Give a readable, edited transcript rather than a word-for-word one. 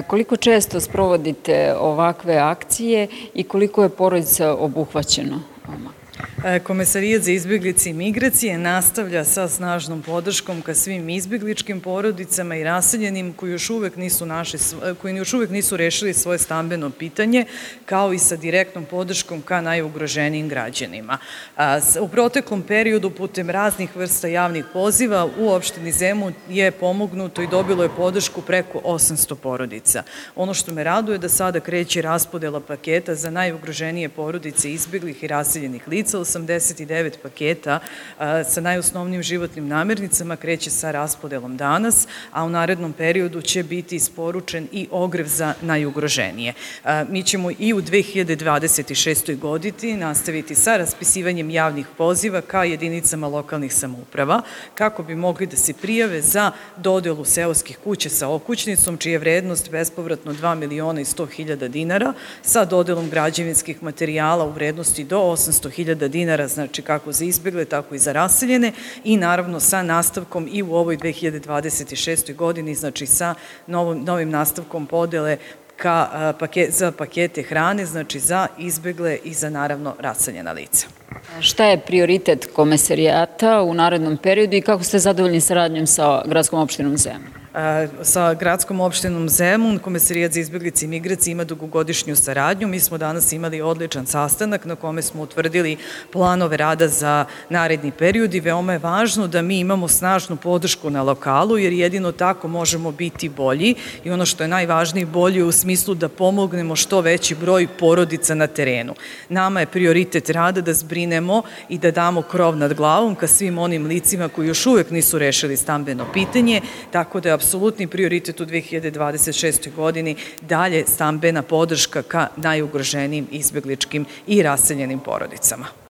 Koliko često sprovodite ovakve akcije i koliko je porodica obuhvaćeno? Komesarijat za izbjeglice i migracije nastavlja sa snažnom podrškom ka svim izbjegličkim porodicama i raseljenim koji još uvek nisu rešili svoje stambeno pitanje, kao i sa direktnom podrškom ka najugroženijim građanima. U proteklom periodu putem raznih vrsta javnih poziva u opštini Zemun je pomognuto i dobilo je podršku preko 800 porodica. Ono što me raduje da sada kreće raspodela paketa za najugroženije porodice izbjeglih i raseljenih lica. 89 paketa sa najosnovnijim životnim namirnicama kreće sa raspodelom danas, a u narednom periodu će biti isporučen i ogrev za najugroženije. Mi ćemo i u 2026. godini nastaviti sa raspisivanjem javnih poziva ka jedinicama lokalnih samouprava kako bi mogli da se prijave za dodelu seoskih kuća sa okućnicom, čija je vrednost bespovratno 2.100.000 dinara, sa dodelom građevinskih materijala u vrednosti do 800.000 dinara, znači kako za izbjegle, tako i za raseljene, i naravno sa nastavkom i u ovoj 2026. godini, znači sa novim nastavkom podele za pakete hrane, znači za izbjegle i za naravno raseljena lica. Šta je prioritet komesarijata u narednom periodu i kako ste zadovoljni saradnjom sa gradskom opštinom Zemun? Sa gradskom opštinom Zemun Komesarijat za izbjeglice i migracije ima dugogodišnju saradnju. Mi smo danas imali odličan sastanak na kome smo utvrdili planove rada za naredni period i veoma je važno da mi imamo snažnu podršku na lokalu, jer jedino tako možemo biti bolji i ono što je najvažnije, bolji u smislu da pomognemo što veći broj porodica na terenu. Nama je prioritet rada da zbrinemo i da damo krov nad glavom ka svim onim licima koji još uvek nisu rešili stambeno pitanje, tako da je apsolutni prioritet u 2026. godini dalje stambena podrška ka najugroženijim izbjegličkim i raseljenim porodicama.